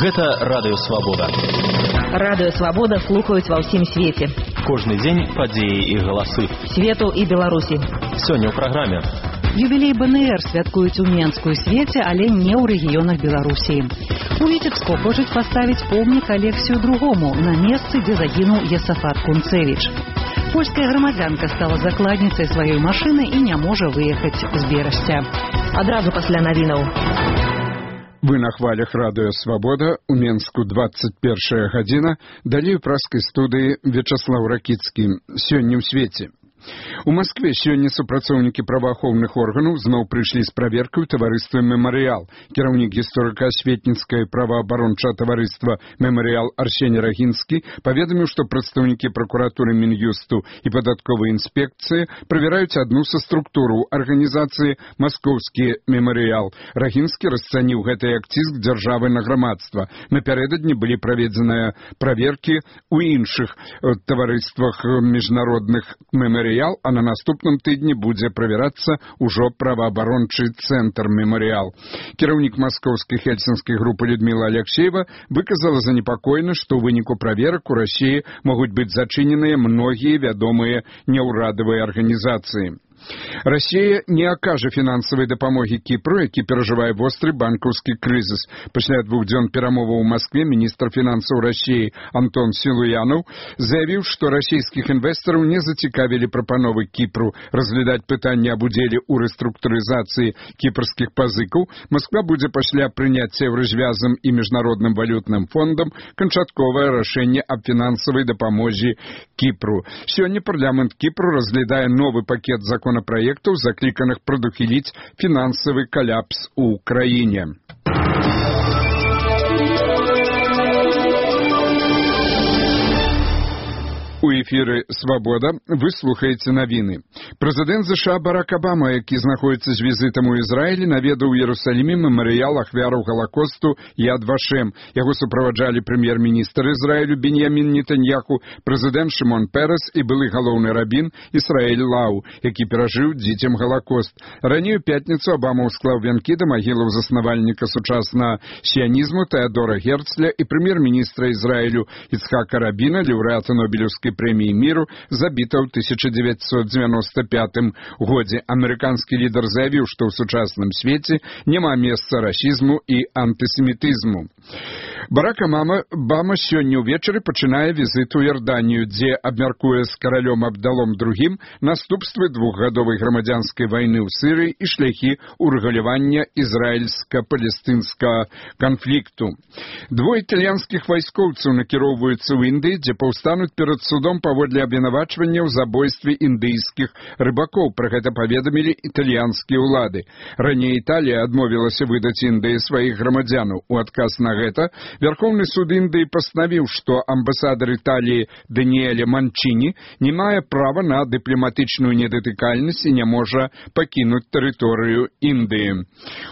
Гэта Радыё Свабода. Радыё Свабода слухаюць ва ўсім свеце. Кожны дзень падзеі і галасы. Свету і Беларусі. Сёння ў праграме. Юбілей БНР святкуюць у Менску і свеце, але не ў рэгіёнах Беларусі. У Віцебску хочуць паставіць помнік Алексію II на месцы, дзе загінуў Есафат Кунцевіч. Польская грамадзянка стала закладніцай сваёй машыны і не можа выехаць з Берасця. Адразу пасля навінаў. Вы на хвалях Радыё Свабода, у Менску 21 гадзіна, далей у праскай студыі Вячаслаў Ракіцкі. Сёння ў свеце. У Маскве сёння супрацоўнікі праваахоўных органаў зноў прыйшлі з праверкай у таварыства «Мемарыял». Кіраўнік гісторыка-асветніцкае праваабарончае таварыства «Мемарыял» Арсеній Рагінскі паведаміў, што прадстаўнікі пракуратуры Мін'юсту і падатковай інспекцыі правяраюць адну са структураў арганізацыі «Маскоўскі мемарыял». Рагінскі расцаніў гэты як ціск дзяржавы на грамадства. Напярэдадні былі праведзеныя праверкі ў іншых таварыствах міжнародных «Мемарыял», а на наступным тыдні будзе правярацца ўжо праваабарончы цэнтр «Мемарыял». Кіраўнік маскоўскай хельсінскай групы Людміла Аляксеева выказала занепакоенасць, што ў выніку праверак у Расіі могуць быць зачыненыя многія вядомыя няўрадавыя арганізацыі. Расія не акажа фінансавай дапамогі Кіпру, які перажывае востры банкаўскі крызіс. Пасля 2 дзён перамоваў у Маскве міністр фінансаў Расіі Антон Сілуянаў заявіў, што расійскіх інвестараў не зацікавілі прапановы Кіпру разглядаць пытанне аб удзеле ў рэструктурызацыі кіпрскіх пазыкаў. Масква будзе пасля прыняцця Еўразвязам і міжнародным валютным фондам канчатковае рашэнне аб фінансавай дапамозе Кіпру. Сёння парламент Кіпру разглядае новы пакет законопроектаў, закліканых прадухіліць фінансавы каляпс у краіне. У эфіры «Свабода» вы слухаеце навіны. Прэзідэнт США Барак Абама, які знаходзіцца з візітам у Ізраілі, наведаў у Іерусаліме мемарыял ахвяраў Галакосту Яд Вашем. Яго суправаджалі прэм'ер-міністр Ізраілю Беньямін Нетаньяху, прэзідэнт Шымон Перес і былы галоўны рабін Ісраэль Лау, які перажыў дзіцям Галакост. Раней у пятніцу Абама ўсклаў вянкі да магілаў заснавальніка сучаснага сіянізму Тэадора Герцля і прэм'ер-міністра Ізраілю Іцхака Рабіна, лаўрэата Нобелеўскай прэміі міру, забіта ў 1995 годзе. Амерыканскі лідар заявіў, што ў сучасным свеце няма месца расізму і антысемітызму. Барак Абама сёння ўвечары пачынае візіт у Іорданію, дзе абмяркуе з каралём Абдалом II наступствы двухгадовай грамадзянскай вайны ў Сірыі і шляхі ўрэгулявання ізраільска-палестынскага канфлікту. Двое італьянскіх вайскоўцаў накіроўваюцца ў Індыі, дзе паўстануць перад судом паводле абвінавачвання ў забойстве індыйскіх рыбакоў. Пра гэта паведамілі італьянскія ўлады. Раней Італія адмовілася выдаць Індыі сваіх грамадзянаў. У адказ на гэта Верховны суд Індыі пастанавіў, што амбасадар Італіі Даніэле Манчіні не мае права на дыпламатычную недатыкальнасць і не можа пакінуць тэрыторыю Індыі.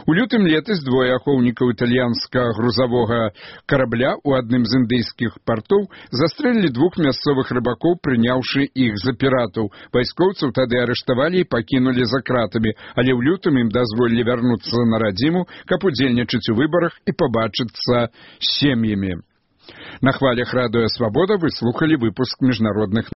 У лютым летась двое ахоўнікаў італьянскага грузавога карабля ў адным з індыйскіх партоў застрэлілі двух мясцовых рыбакоў, прыняўшы іх за піратаў. Вайскоўцаў тады арыштавалі і пакінулі за кратамі, але ў лютым ім дазволілі вярнуцца на радзіму, каб удзельнічаць у выбарах і пабачыцца з сем'ямі. На хвалях Радыё Свабода вы слухалі выпуск міжнародных